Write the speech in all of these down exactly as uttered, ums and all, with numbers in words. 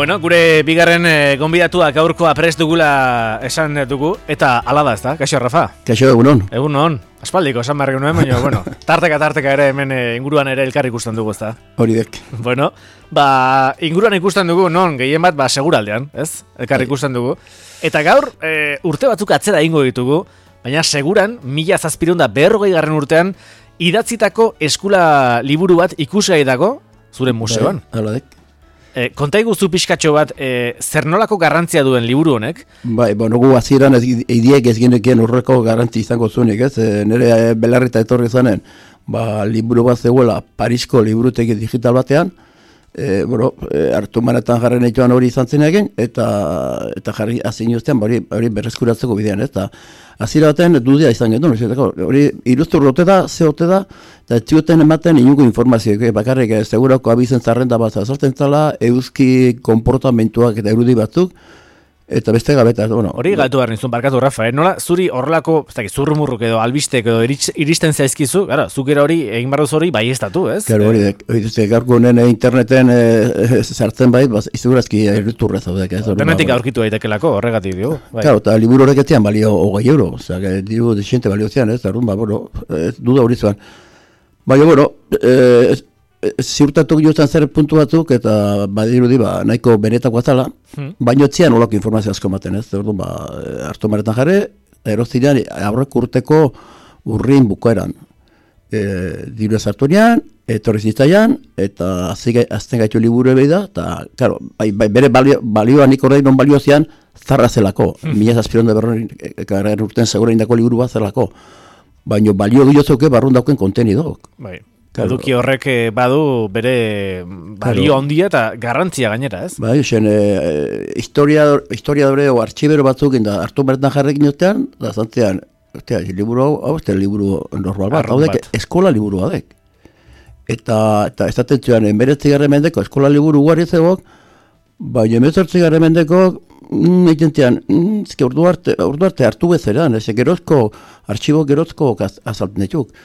Bueno, gure bigarren e, gonbidatuak gaurkoa prest dugula esan dugu, eta ala da, ez da? Kaixo, Rafa? Kaixo, egunon. Egunon. Aspaldiko, esan barri nuen, baina, bueno, tarteka-tarteka ere hemen e, inguruan ere elkar ikusten dugu, ez da? Hori dek. Bueno, ba, inguruan ikusten dugu, non, gehien bat, ba, seguraldean, ez? Elkar ikusten dugu. Eta gaur, e, urte batzuk atzera ingo ditugu, baina seguran, mila zazpirunda berrogei garren urtean, idatzitako eskula liburu bat ikusgai dago, zure museoan. Hala dek. E, konta iguzu pixkatxo bat, e, zer nolako garrantzia duen liburu honek? Bai, bueno, gu hasieran ez idiek ez genekien horreko garrantzi izango zuenik, ez? E, nire belarrita etorri zanen, ba, liburu bat zegoela Parisko liburutegi digital batean, e, bueno, e, hartu manetan jarren etxoan hori izan zen egin, eta, eta jarri azin ustean, hori, hori berreskuratzeko bidean, ez? Eta hasiera baten dudia izan genuen, hori iruztur ote da, ze ote da, eta txioten ematen inungo informazioak, bakarrik segurako abizen zarrenda bat azaltzen zala, euski konportamentuak eta erudi batzuk, eta beste gabeta. Bueno, hori gatu behar nizun, barkatu, Rafa, eh? Nola zuri horrelako, ez dakit, zurrumurruk edo albistek edo iristen zaizkizu, gara, zukera hori, egin barruz hori baiestatu, ez? Gero hori, hori gaurko honen interneten e, sartzen bai, segurazki erriturre zaudek. Internetik aurkitu daitekelako, horregatik dio. Bai. Claro, eta liburu horrek etzian balio hogei euro, osea, que diru desiente balio zian, ez, arrun, ba, bueno, duda hori zuan. Baina, bueno, e, ziurtatu giotzen zer puntu batzuk, eta badirudi ba, nahiko benetako azala, hmm. baina etzian olako informazio asko ematen, ez? Orduan, ba, hartu maretan jarri, erozinean, aurrek urteko urrin bukaeran. E, diru ezartu nean, etorri zitzaian, eta azten gaitu liburu ebei da, eta, claro, bai, bai, bere balio, balioa nik horrein non balio zian, zarra zelako, hmm. mila zazpiron da berron, ekarren urten segura indako liburu bat zelako. Baina balio giozoke barrun dauken kontenidok. Bai. Eduki horrek badu bere balio handia eta garrantzia gainera, ez? Bai, zen, e, historia, historia dure o artxibero batzuk inda hartu bertan jarrekin otean, da zantzean, ostia, liburu hau, hau, este liburu normal bat, hau dek, eskola liburu badek. Eta, eta ez atentzioan, enberetzi garre mendeko eskola liburu guari zegok, baina emezortzi garre mendeko, mm, egitean, mm, ezke urdu arte, urdu arte hartu bezeran, ez gerozko, artxibo gerozko azalten dituk.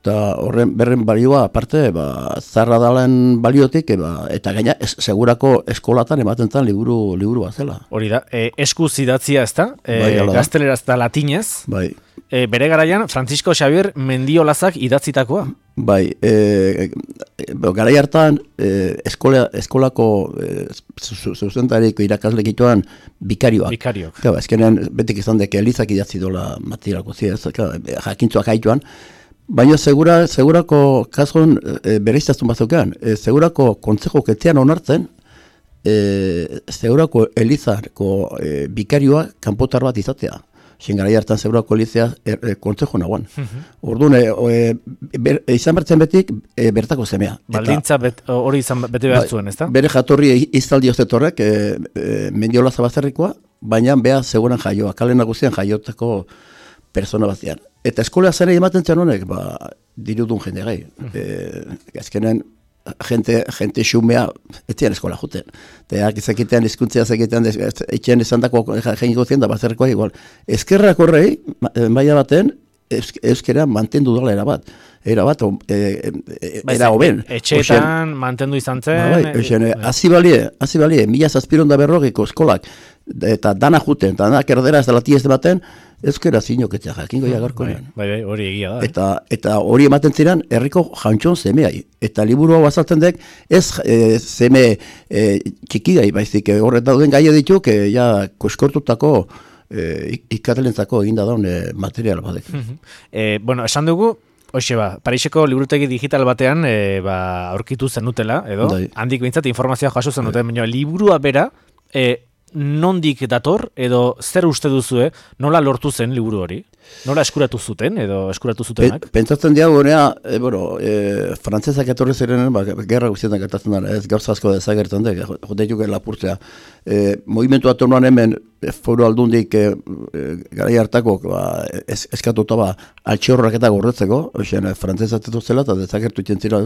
Eta horren berren balioa, aparte, ba, zarra dalen baliotik, eba, eta gaina es, segurako eskolatan ematen zen liburu, liburu bat zela. Hori da, e, eskuz idatzia ez da, e, bai, gazteleraz eta latinez, bai. e, bere garaian Francisco Xavier Mendiolazak idatzitakoa. Bai, e, e, garai hartan e, eskola, eskolako e, zuzentariko irakaslegituan bikarioak. Bikariok. Claro, ezkenean betik izan dek elizak idatzi dola materialako ziaz, claro, jakintzuak haituan. Baina segura, segurako kasuan e, bereiztazun bazukean, e, segurako kontzejo ketzean onartzen, e, segurako elizarko e, bikarioa kanpotar bat izatea. Xin garai hartan segurako elizea e, e, kontzejo nagoan. Uh-huh. Orduan, e, ber, izan bertzen betik e, bertako semea. Baldintza hori izan bete behar zuen, ez da? Bere jatorri izaldi ozetorrek, e, e, Mendiola Zabazerrikoa, baina beha seguran jaioa, kale nagusian jaiotako persona bazian. Eta eskola zene ematen zen honek, ba, dirudun jende gai. E, azkenen, jente, jente xumea, ez zian eskola juten. Eta zekitean, izkuntzea zekitean, etxean izan dako jeniko zien, da bazerrekoa igual. Ezkerrak horrei, maila baten, euskera mantendu dola erabat. Erabat, e, e, era hoben. Etxeetan mantendu izan zen. Ba, bai, oixen, hazi balie, hazi balie, mila zazpironda berrogiko eskolak, eta dana juten, eta dana kerdera ez da lati ez baten, euskera zinok etxea jakingo jagarko. Bai, bai, bai, hori egia da. Eta, eta hori ematen ziren herriko jantxon zemeai. Eta liburu hau azaltzen dek, ez e, zeme e, txikigai, baizik, horret dauden gaia dituk, e, ja, koskortutako e, ikatelentzako eginda daun e, material badek. e, bueno, esan dugu, hoxe ba, Pariseko liburutegi digital batean e, ba, aurkitu zenutela, edo, Dai. handik behintzat informazioa jaso zenuten, baina liburua bera, e, nondik dator, edo zer uste duzue, nola lortu zen liburu hori? Nola eskuratu zuten, edo eskuratu zutenak? Pe, pentsatzen diago, honea, e, bueno, e, frantzesak etorri zirenen, ba, gerra guztietan gertatzen dara, ez gauza asko dezagertzen dek, joteituk lapurtzea. E, movimentu atonuan hemen, e, foru aldundik, e, e, garai hartako, ba, es, eskatuta ba, altxorrak eta gorretzeko, oixen, e, frantzezak zela, eta dezagertu ikentzira.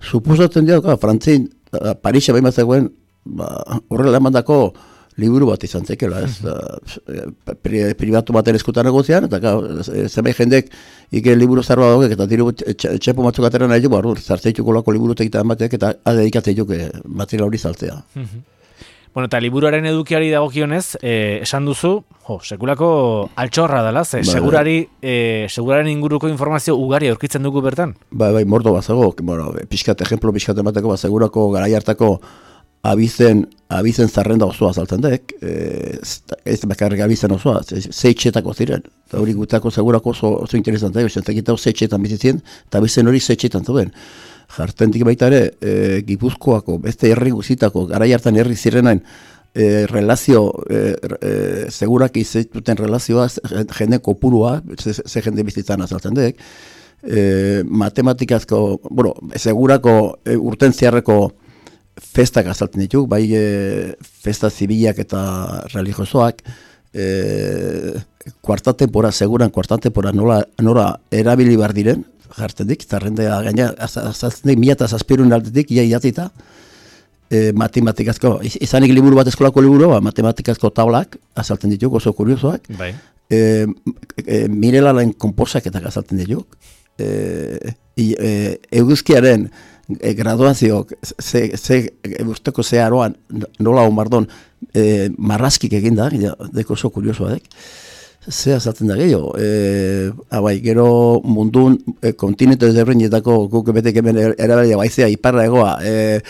Suposatzen diago, frantzin, Parisa behin bat zegoen, ba, horrela emandako, liburu bat izan zekela, ez, da, pri, privatu baten eskutan negozian, eta zemei jendek ike liburu zarroa daugek, eta diru txepo batzuk atera nahi dugu, zartzeituko lako liburu tegita emateak, eta adedikatzeituk material hori saltzea. Bueno, eta liburuaren edukiari dagokionez, eh, esan duzu, jo, sekulako altxorra dela, ze, bai, segurari, eh, seguraren inguruko informazio ugari aurkitzen dugu bertan? Bai, bai, mordo bazago, bueno, pixkat, ejemplo, pixkat emateko, ba, segurako garai hartako abizen, abizen zarrenda osoa saltzen dek, eh, ez bakarrik abizen osoa, zeitxetako ziren, eta hori gutako segurako oso, oso interesantea, zentzakitako zeitxetan bizitzen, eta abizen hori zeitxetan zuen. Jartentik baita ere, e, Gipuzkoako, beste herri guzitako, garai hartan herri zirenain, e, relazio, e, e, segurak izatuten relazioa, jende kopurua, ze, ze jende bizitzan azaltzen dek, e, matematikazko, bueno, segurako e, urten ziarreko festak azaltzen dituk, bai e, festa zibilak eta religiosoak, e, kuarta tempora, seguran kuarta tempora nola, nola erabili bar diren, jartzen dik, zarrendea gaina, azaltzen dik, mila eta zazpirun aldetik, ia idatita, e, matematikazko, izanik liburu bat eskolako liburu, ba, matematikazko taulak, azaltzen dituk, oso kuriosoak, bai. e, e, Mirelaren konposaketak azaltzen dituk, e, e, eguzkiaren e, graduazioak, ze, ze, urteko ze aroan, nola omardon, e, marrazkik eginda, ja, deko oso kuriosoa dek, ze azaltzen da gehiago, e, abai, gero mundun e, kontinente desberdinetako guk betek hemen erabalia baizea iparra egoa, e,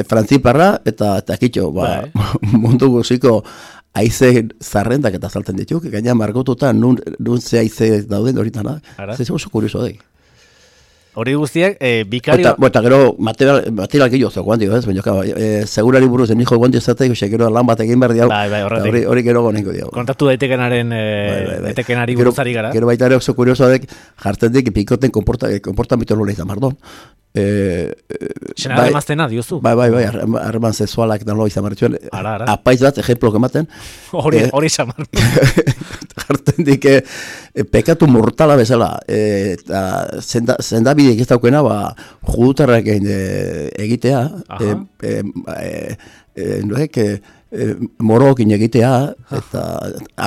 frantziparra eta takitxo, ba, mundu guziko haize zarrendak eta azaltzen dituk, gaina margotuta nun, nun ze haize dauden horitanak, ze oso kurioso dek. Hori guztiak, e, bikario... Eta, eta gero material, material gehiago zeu guandio, ez? Baina, e, segurari buruz den hijo guandio zatek, ose, gero lan bat egin behar diau, bai, bai, hori, hori gero gonengo diau. Kontaktu daitekenaren, e, bai, bai, bai. daitekenari buruzari gara. Gero baita ere oso kurioso dek, jartzen dik, pikoten komportamitu nola izan mardon. E, Sena bai, emaztena, diozu? Bai, bai, bai, harreman sexualak dan loa izan martxuen. Ara, ara. Apaiz bat, ejemplok ematen. Hori, eh, hori izan jartzen dik, e, pekatu mortala bezala, e, eta zenda, zendabidek ez daukena, ba, judutarrak e, egitea, e, e, e, e, noek, e, morokin egitea, eta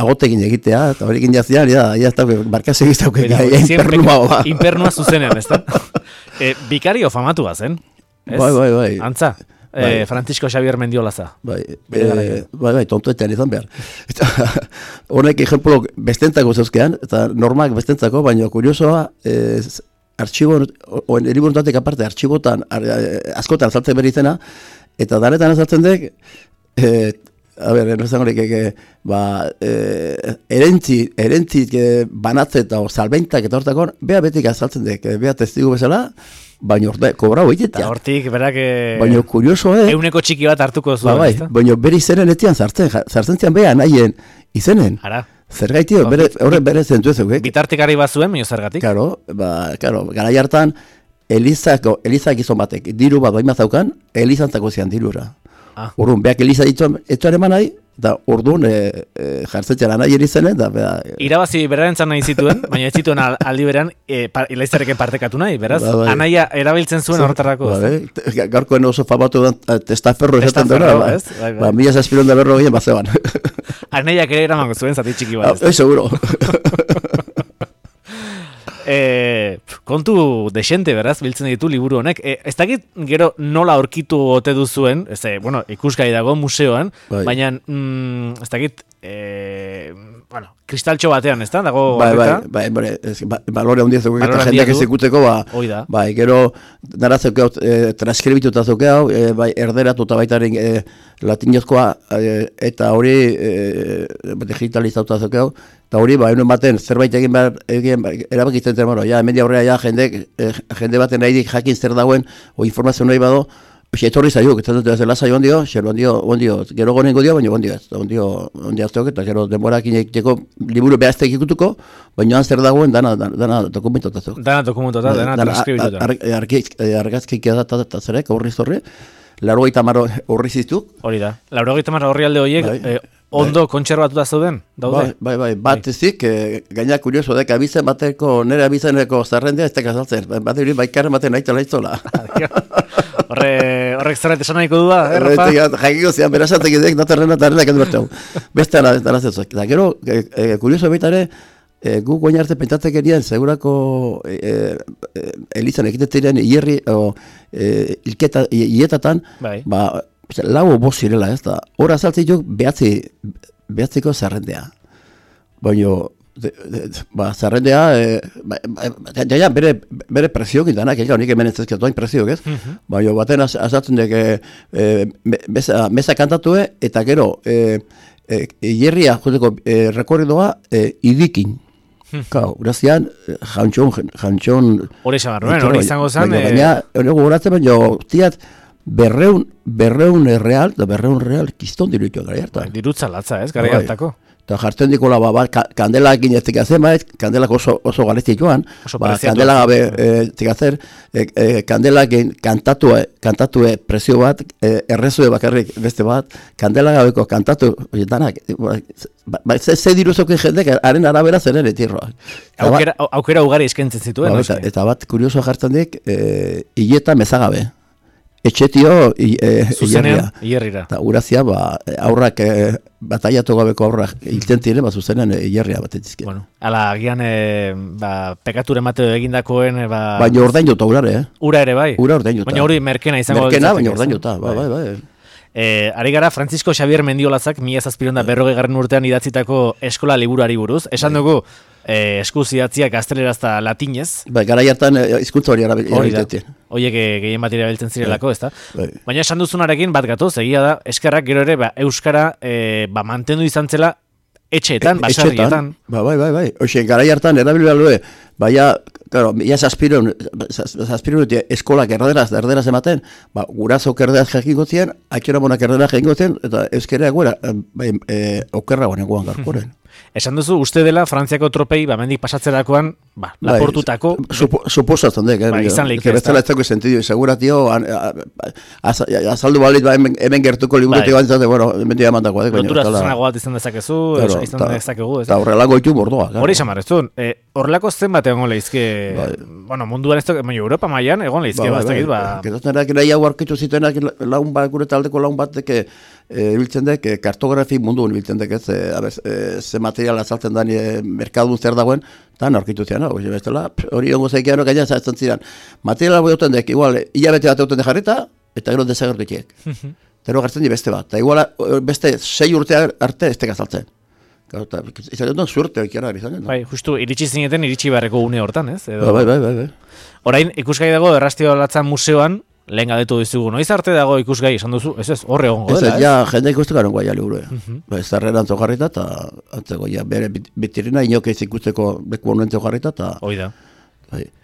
agotekin egitea, eta horikin jazian, ja, ja, eta barkaz egiz daukena, impernua, ba. Impernua zuzenean, ez da? E, bikario famatu bazen, ez? Bai, bai, bai. Antza? Bai. E, Francisco Xavier Mendiolaza. Bai, e, bai, bai, tontoetean izan behar. Eta honek ejemplo bestentzako zeuzkean, eta normak bestentzako, baina kuriosoa, e, artxibo, oen eribuntatek aparte, artxibotan, ar, askotan azaltzen behar izena, eta danetan azaltzen dek, e, a ber, enrezan horiek, e, ba, e, erentzi, erentzi e, banatze eta salbentak eta hortakon, beha betik azaltzen dek, beha testigu bezala, baina orte, kobra hoitetea. Eta hortik, berak, baina kurioso, eh? Euneko txiki bat hartuko zuen. Ba, bai, baina bere izenen etian zartzen, zartzen zian beha nahien izenen. Ara. Zergaitio, bere, horre bere zentu ezuk, eh? Bitartekari bat zuen, baina zergatik. Karo, ba, karo, garai hartan, Elizako, Elizak izan batek, diru bat baima zaukan, Elizantzako zian dirura. Ah. Urrun, beak Eliza dituen, etxoan eman nahi, eta urduan e, e, jartzetxera nahi erizenen, da, bera... E, Irabazi berarentzan nahi zituen, baina ez zituen aldi beran, e, par, Elizareken partekatu nahi, beraz? Ba, bai. Anaia erabiltzen zuen horretarako. Ba, bai. Gaurkoen oso famatu da, testaferro esaten dira, ba, ez? Bai, bai. Ba, mila zazpiron da berro gehien bazeban. Anaiak ere eramango zuen, zati txiki bat. Ah, seguro. E, kontu desente, beraz, biltzen ditu liburu honek. E, ez dakit gero nola aurkitu ote duzuen, ez, bueno, ikusgai dago museoan, bai. Baina mm, ez dakit, e, bueno, kristaltxo batean, ez da? Dago bai, bai, bai, bai, ez, ba, balore handia zeuke eta jendeak ezekuteko, ba, bai, gero nara zeuke e, transkribituta zeuke hau, e, bai, erderatuta baitaren e, latinozkoa e, eta hori e, digitalizatuta zeuke hau, eta hori, ba, egun baten, zerbait egin behar, egin erabakitzen zen, bueno, ja, hemendia aurrera, ja, jende, eh, jende baten nahi dik jakin zer dauen, o informazio nahi bado, oxe, etorri zaiuk, ez dut, ez dela zaio ondio, xero ondio, ondio, gero gonengo dio, baina ondio ez, ondio, ondio azteok, eta gero demorak inekiteko liburu behaztek ikutuko, baina zer dagoen, dana, dana, dana dokumentotazuk. Dana dokumentotaz, dana transkribituta. Argazkik edatat eta zerek, horri zorri, laurogeita hamar horri ziztuk. Hori da, laurogeita hamar horri alde horiek, bai. eh, ondo bai. Kontserbatuta zeuden, daude? Bai, bai, bai, bat ezik, e, gaina kurioso dek, abizen bateko, nire abizeneko zarrendea ez teka saltzen, bat eri baikarren baten nahi tala iztola. Horre, horrek zerret esan nahiko du da, eh, Rafa? Jakiko zian, berazatek edek, naterrena eta arrena kendu bertau. Beste ara, ara zetzak. Eta gero, e, e, kurioso baitare, e, gu goin arte pentsatzek erien, segurako e, e, Elizan ekitetzen hierri, o, e, ilketa, ietatan, bai. Ba, lau bost zirela, ez da. Hor azaltzituk behatzi, behatziko zerrendea. Baina, ba, zerrendea, e, ba, ba, ja, ja, bere, bere presioak indanak, eka, honik hemen ez ezkatuain presioak, ez? Uh-huh. Baina, baten az, azaltzen dek, e, mesa, mesa kantatue, eta gero, e, e, hierria, joteko, e, rekorridoa, e, idikin. Kau, urazian, jantxon, jantxon... Hori esan barruen, hori izango zen... Baina, hori gogoratzen, baina, tiat, berreun, berreun real, da berreun real, kiston dirutu gara hartan. Dirutza latza, ez, gara hartako. Eta jartzen dikola, ba, ba, kandelak inezik azen, ba, kandelak oso, oso galezti joan, ba, kandelak gabe zik azer, e, e, kandelak kantatue, kantatue presio bat, e, errezue bakarrik beste bat, kandelak gabeko kantatu, danak, ba, ba, ze, ze diruzokin jendek, haren arabera zeren etirroa. Aukera, aukera ugari eskentzen zituen, ba, eta, eta bat, kurioso jartzen dik, e, hileta mezagabe. Etxetio zuzenean hierrira. Eta urazia, ba, aurrak, e, bataiatu gabeko aurrak hilten ziren, ba, zuzenean hierria bat etizke. Bueno, ala, agian, e, ba, pekature mateo egindakoen, e, ba... Baina ordain jota urare, eh? Ura ere, bai? Ura ordain jota. Baina hori merkena izango... Merkena, baina ordain jota, bai, bai, bai. E, ari gara, Francisco Xavier Mendiolazak, mila zazpironda berrogei garren urtean idatzitako eskola liburuari buruz. Esan dugu, e, eskuz idatziak gazteleraz eta latinez. Bai, gara jartan hizkuntza hori erabiltzen. Horiek gehien bat erabiltzen zirelako, ez da? Bai. Baina esan duzunarekin bat gatoz, egia da, eskerrak gero ere, ba, euskara e, ba, mantendu izan zela etxeetan, e, basarrietan. Ba, bai, bai, bai. Oxe, gara jartan erabilbea lue, baina, claro, ya zazpiron, zazpiron eskolak erderaz, erderaz ematen, ba, gurazok erderaz jakingo ziren, akera monak erderaz jakingo ziren, eta euskera eguera, bai, e, okerra guan eguan garkoren. Esan duzu, uste dela, Frantziako tropei, ba, mendik pasatzerakoan, ba, laportutako... Supo, suposatzen dek, eh? Ba, izan leik, ez da. Bestela ez dago sentidio, segura, tio, azaldu balit, ba, hemen gertuko liburutik bai. Bantzate, bueno, hemen dira mandako. Lotura zuzenago bat izan dezakezu, claro, izan ta, dezakegu, ez da? Eta horrelako itu bordoa. Hori esan marrezun, eh, horrelako zen bat egon lehizke, bai. Bueno, munduan ez da, Europa mailan egon lehizke, ba, baztekit, ba... Getatzen erak, nahi hau arkitu zitenak, laun bat, gure taldeko laun bat, deke, ibiltzen dek, kartografi munduan ibiltzen dek, ez, ze material azaltzen da merkadun zer dagoen, eta norkitu zian, hori ongo zeikian gaina zaitzen ziren. Materiala boioten dek, igual, hilabete bat egoten dejarrita, eta gero desagertukiek. Tero gartzen di beste bat, eta igual beste sei urte arte ez teka azaltzen. Izan dut suerte oikiara izan. Bai, justu, iritsi zineten, iritsi beharreko une hortan, ez? Bai, bai, bai, bai. Orain, ikusgai dago, Errastio Latzan museoan, lehen gadetu dizugu, noiz arte dago ikusgai, esan duzu, ez ez, horre egongo dela, ez? Ja, jende ikustu garen guai liburu, ba, ez zarreran zogarrita, eta antzeko, ja, bere bitirina inoke ez ikusteko beku honuen zogarrita, eta... Hoi da.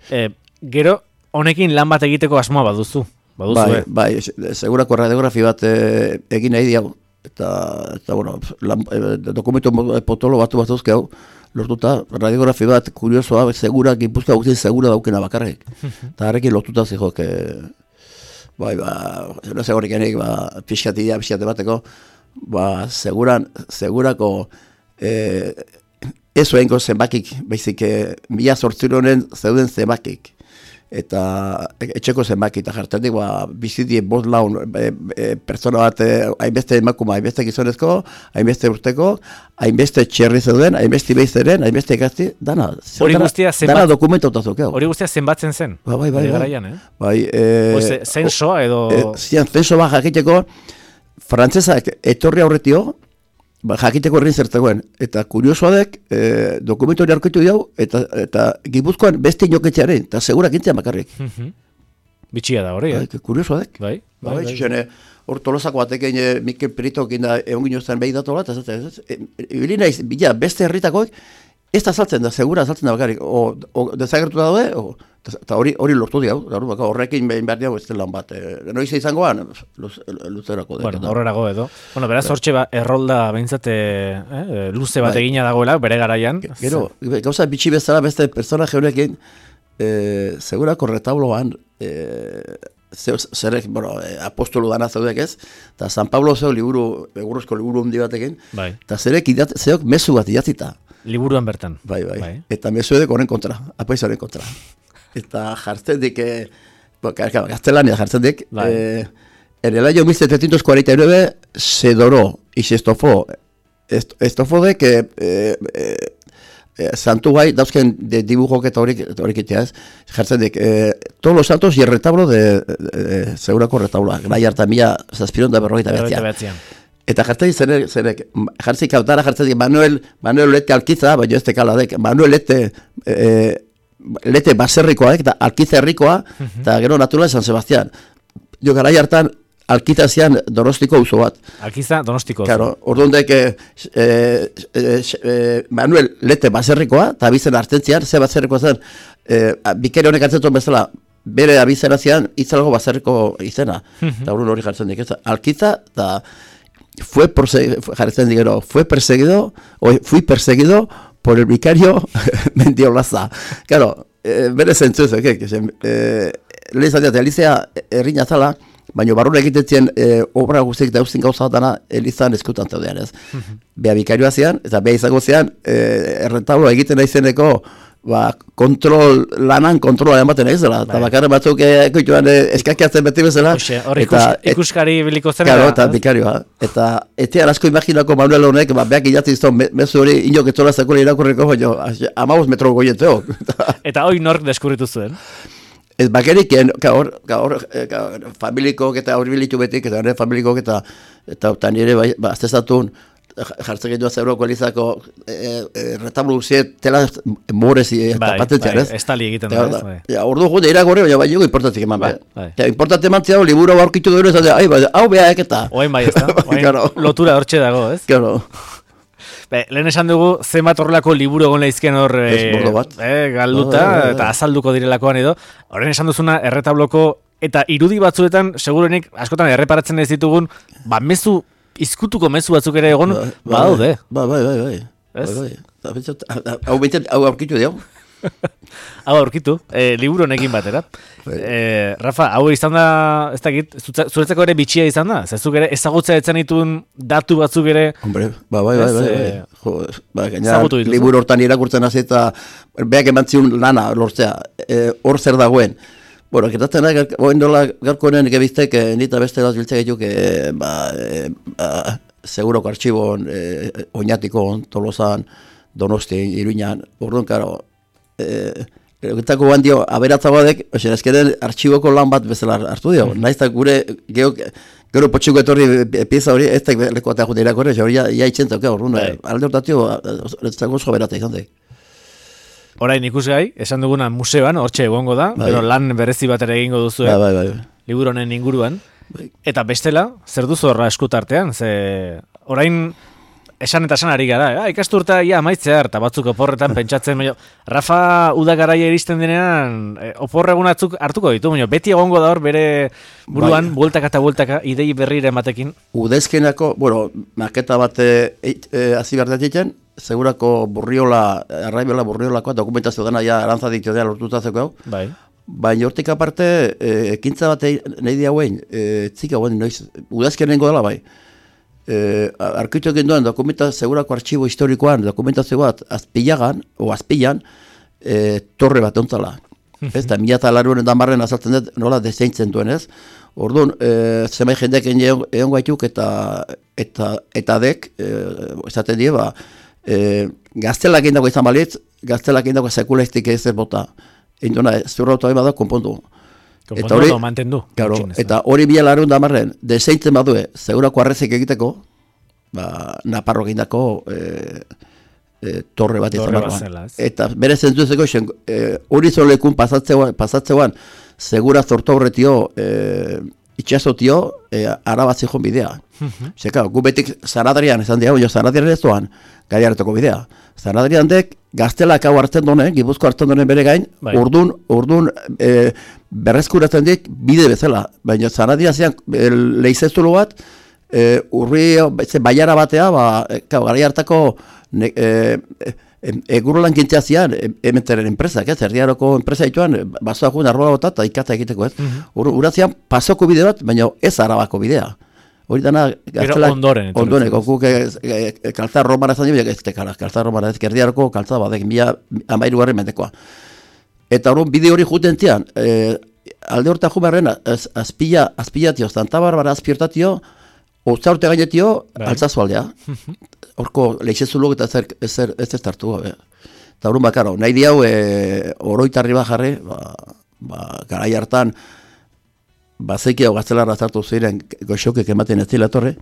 E, gero, honekin lan bat egiteko asmoa baduzu, baduzu, bai, eh? Bai, segurako radiografi bat e, egin nahi diago, eta, eta bueno, lan, e, dokumentu potolo batu batuzke hau, lortuta, radiografi bat, kuriosoa, segura, Gipuzkoa guztien segura daukena bakarrik, eta harrekin lortuta zihok, bai, ba, no sé horrikenik, ba, pixkatia, pixkate bateko, ba, seguran, segurako, eh, ez oenko zenbakik, baizik, mila zortzironen zeuden zenbakik, eta etxeko zenbaki, eta jartetik, ba, bizitie bost laun, e, e, pertsona bat, hainbeste emakuma, hainbeste gizonezko, hainbeste urteko, hainbeste txerri zeuden, hainbeste beizeren, hainbeste ikasti, dana, hori guztia zenbat, dana dokumentotazukeo. Hori guztia zenbatzen zen. Ba, bai, bai, bai. Garaian, eh? Bai, e, Oze, zensoa edo... E, zian, zensoa jakiteko, frantzesak etorri aurretio, ba, jakiteko herrin zertzegoen, eta kuriosoa dek, e, dokumentu hori aurkitu diau, eta, eta Gipuzkoan beste inoketxearen, eta segurak intzean bakarrik. Bitxia da hori, eh? Ba, kuriosoa dek. Bai, bai, bai. Xene, hor tolosako batekin e, Mikel Peritok inda egon ginoztan behi datola, eta zaten, ibili naiz, bila, beste herritakoak, ez da saltzen da, segura saltzen da bakarrik, o, o dezagertu da daude, o, eta hori hori lortu diau, horrekin behin behar diau ez lan bat. E, noiz izangoan, luzerako. Bueno, horrerago edo. Bueno, beraz, hortxe ba, errolda behintzate eh, luze bat bai. Egina dagoela, bere garaian. Gero, gauza bitxi bezala beste personaje honekin, e, segurako retabloan, e, zerek, bueno, apostolu dana zeudek ez, eta San Pablo zeu liburu, egurrezko liburu hundi batekin, bai. Eta zerek idat, zeok mezu bat idatzita. Liburuan bertan. Bai, bai. bai. Eta mezu edek horren kontra, apaizaren kontra. Eta jartzen dik, eh, gaztelania jartzen dik, bai. eh, en el año mil setecientos cuarenta y nueve se doró y se estofó, est, estofó de que eh, eh, santu gai, dauzken de dibujok eta horik itea ez, jartzen dik, eh, todos los santos y el retablo de, de, de segurako retabloa, gai harta mila zazpiron da berrogeita behatzean. Eta jartzen dik, zenek, zenek, jartzen kautara jartzen dik, Manuel, Manuel Lete Alkiza, baina ez tekala dek, Manuel Lete, eh, Lete baserrikoa, eta Alkiza herrikoa, eta gero naturala San Sebastián. Jo garai hartan, Alkiza zian Donostiko auzo bat. Alkiza Donostiko auzo. Claro, orduan dek eh, eh, eh, Manuel Lete baserrikoa, eta abizen hartentzian, ze baserrikoa zen, eh, bikere honek hartzeton bezala, bere abizena zian, itzalgo baserriko izena. Eta orduan hori jartzen dik, Alkiza, eta fue, jartzen digero, fue perseguido, o fui perseguido por el vicario Mendiolaza. Claro, eh, bere zentzuz, eh, eh, lehen zateat, Elizea errina zala, baina barrura egiten zien e, obra guztiek dauzin gauza dana Elizan eskutan zaudean ez. Mm-hmm. Bea bikarioa zean, eta bea izango zean, e, erretablo egiten aizeneko ba, kontrol, lanan kontrola ematen ez dela, eta bakarren batzuk ekoituan e, eskakiatzen beti bezala. Oxe, hor ikus, ikuskari biliko zen. Claro, eta bikarioa. Eta etean asko imaginako Manuel honek, ba, beak idatzi izan, me, mezu hori inok etzola zakura irakurriko, baina amabuz metro goieteo. Eta hoi nork deskubritu zuen? Ez bakerik, gaur, gaur, gaur, familikok eta horbilitu betik, eta nire familikok eta eta nire bai, ba, aztezatun, jartzen gendua zeuroko Elizako e, e, retablo guziet tela morez eta patentzian, ez? Bai, estali egiten da, ez? Ja, ordu gu, deira gore, baina bai dugu importantik eman, bai. Eta importante eman ziago, liburu aurkitu gero, ez da, hau beha eketa. Oain bai, ez da? Oain lotura hortxe dago, ez? Claro. Be, lehen esan dugu, zenbat horrelako liburu egon lehizken hor e, e, galduta, oh, oh, oh, oh. eta azalduko direlakoan edo. Horren esan duzuna, erretabloko eta irudi batzuetan, segurenik, askotan erreparatzen ez ditugun, ba, mezu, izkutuko mezu batzuk ere egon, ba, ba, daude. Ba, bai, bai, bai. Ez? Bai, bai. Hau beintzen, hau aurkitu diau. Hau aurkitu, e, liburu honekin batera. E, Rafa, hau izan da, ez dakit, zuretzako ere bitxia izan da? Zezuk ere ezagutza etzen dituen datu batzuk ere... Hombre, ba, bai, bai, bai, bai. Jo, ba, gaina, liburu hortan irakurtzen hasi eta beak emantziun lana lortzea, hor e, zer dagoen. Bueno, gertatzen da, oen dola garkoenen gebiztek, e, nita beste bat biltzea gaituk, e, ba, e, ba, seguroko artxibon, e, Oñatikon, Tolosan, Donosti, Iruñan, orduan, karo, Egitako guan dio, aberatzagoadek, ozen, ezkeren artxiboko lan bat bezala hartu dio. Mm. Naiztak gure, gero, gero potxuko etorri pieza hori, ez da lekoatea jute irakorre, hori ja itxentzak, hori, alde hortatio, ez da gozo beratek, izan dek. Orain ikusgai, esan duguna museoan, hortxe egongo da, bai. Pero lan berezi bat ere egingo duzu, bai, bai, bai. Liburu honen inguruan. Bai. Eta bestela, zer duzu horra eskutartean, ze orain... Esan eta esan ari gara, eh? Ikasturta ia amaitzea, eta batzuk oporretan pentsatzen, baina, Rafa uda garaia iristen denean, eh, oporre egunatzuk hartuko ditu, baina, beti egongo da hor bere buruan, bai. Bueltaka eta bueltaka, idei berrire ematekin. Udezkenako, bueno, maketa bat hazi behar datetzen, segurako burriola, arraibela burriolakoa, dokumentazio dena ja arantza ditu dela lortutazeko hau. Bai. Baina hortik aparte, eh, ekintza bat nahi diagoen, eh, txika guen, noiz, udezkenengo dela bai. Eh, arkitu egin duen dokumenta segurako artxibo historikoan dokumentazio bat azpilagan o azpilan eh, torre bat ontzala ez da mila eta laruaren damarren azaltzen dut nola deseintzen duen ez orduan eh, zemai jendeak egon gaituk eta eta, eta dek eh, esaten die ba eh, gaztelak egin dago izan balitz gaztelak egin dago sekuleistik ez ez bota egin duena zurra auto da konpondu Eta hori, mantendu. Claro, eta hori bila larun damarren, deseintzen badue, segurako arrezik egiteko, ba, Naparro egindako e, e, torre bat izan barruan. Eta bere zentzuzeko, e, hori zolekun pasatzeuan, pasatzeuan, segura zorto horretio, e, itxasotio, e, arabatzi joan bidea. Zeka, gu betik Zanadrian, esan diago, jo Zanadrian ez doan, gari hartoko bidea. Zanadrian dek, gaztelak hau hartzen donen, Gipuzko hartzen donen bere gain, bai. urdun, urdun e, berrezkuratzen dik bide bezala. Baina Zanadrian zean e, lehizestulo bat, e, urri baiara batea, ba, e, gari hartako ne, e, e, egurlan gintzea zian, ementeren enpresak, ez, erdiaroko enpresa dituan, basoa juen arrola bota eta ikata egiteko, ez. Mm -hmm. Ura zian pasoko bide bat, baina ez arabako bidea. Hori dana, gaztelak, ondoren, ondoren, guk kaltzar romara zan dira, ez tekala, kaltzar romara ez, erdiaroko kaltzar badek, mila amairu garri mendekoa. Eta hori bide hori juten zian, e, alde horta jumarren, azpila, azpilatio, Santa Barbara azpiertatio, Otza urte gainetio, altzazu aldea. Horko lehizezulok eta ez ez ez tartu gabe. Eta urun bakaro, nahi di hau e, oroitarri bat jarri, ba, ba, garai hartan, bazeki hau gaztelarra zartu ziren goxokek ematen ez dila torre,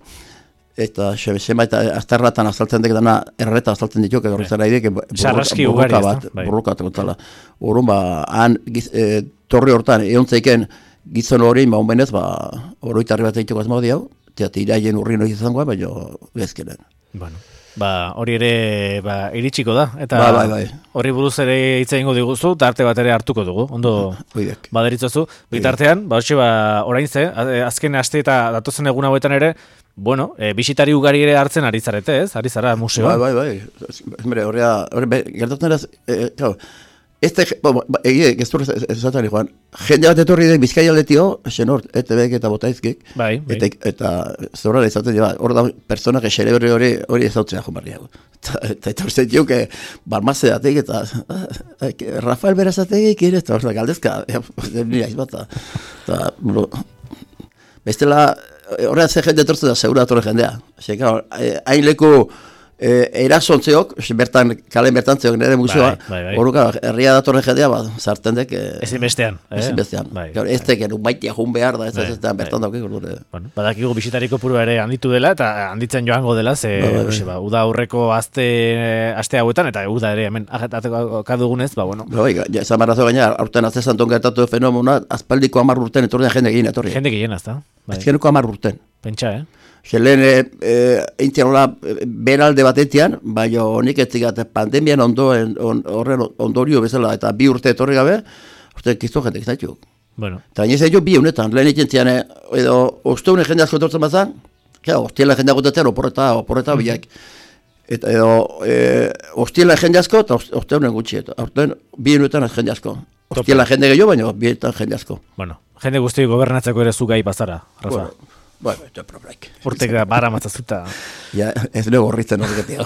eta sema eta azterratan azaltzen dek dana erreta azaltzen dituk, edo horretzen nahi dik, burruka bat, burruka bat, urun ba, han e, torri hortan, egon zeiken gizon hori, ba, honbenez, ba, oroitarri bat egituk azmau di hau, eta iraien urri noiz izangoa, baina bezkenen. Bueno. Ba, hori ere ba, iritsiko da, eta ba, bai, bai. Hori buruz ere hitz egingo diguzu, eta arte bat ere hartuko dugu, ondo baderitzozu. Bitartean, ba, hoxe, ba, orain ze, azken aste eta datozen egun hauetan ere, bueno, e, bisitari ugari ere hartzen ari zarete, ez? Ari zara museoa. Bai, bai, bai. Horrea, gertatzen eraz, claro, este, bueno, egie, geztur esatzen joan, jende bat etorri den Bizkaia aldetio, xenor, E T Bek eta Botaizkik, bai, bai. eta, eta zorra izaten dira, hor da, personak xerebri hori hori ezautzea jomarria. Eta eta hor zentiu, que barmaze datek, eta Rafael Berazategik, eta hor da, galdezka, nire aiz bat, eta, bueno, bestela, horrean ze jende etortzen da, segura etorre jendea. Hain leku, E, erasontzeok, bertan, kalen bertantzeok nire museoa, horreka, bai, bai. Herria datorren jendea, ba, zarten dek... Ezin bestean. Ezin bestean. Bai, bai, ez teken, un baitia jun behar da, ez bai, ez ez bertan daukik. Bueno, badakigu bisitariko purua ere handitu dela, eta handitzen joango dela, ze, bai, bai, bai. Ba, uda aurreko azte, aste hauetan, eta uda ere, hemen, akadugunez, ba, bueno. Bai, ja, esan barrazo gaina, aurten azte santon gertatu fenomena, azpaldiko amar urten, etorri jende gehien etorri. Jende gehien, azta. Bai. Azkeneko amar urten. Pentsa, eh? Zelen, e, e, eintzen hola, beralde batetian, baina honik etzigat pandemian ondoen, on, horren ondorio bezala, eta bi urte etorri gabe, uste, kizto jende gizaitu. Bueno. Eta nire zaitu bi honetan, lehen egiten edo, osteunen jende asko etortzen bazan, ja, ostiela jende agotetzen, oporreta, oporreta mm-hmm. biak. Eta edo, e, ostiela jende asko, eta osteunen gutxi, eta orten, bi honetan jende asko. Ostiela jende gehiago, baina bi honetan jende asko. Bueno, jende guzti gobernatzeko ere zu gai bazara, Rafa. Bueno. Bueno, esto es probraik. Urtek da, bara matzazuta. Ja, ez lego horritzen horreketia.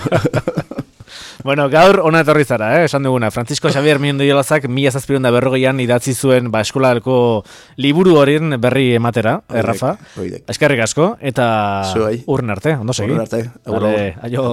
Bueno, gaur ona etorri zara, eh? Esan duguna. Francisco Xavier Mendiorazak mila zazpiehun eta berrogeian idatzi zuen ba, eskolalko liburu horien berri ematera, eh, Rafa. Eskerrik asko, eta urren arte, ondo segi. Urren arte. Vale, aio.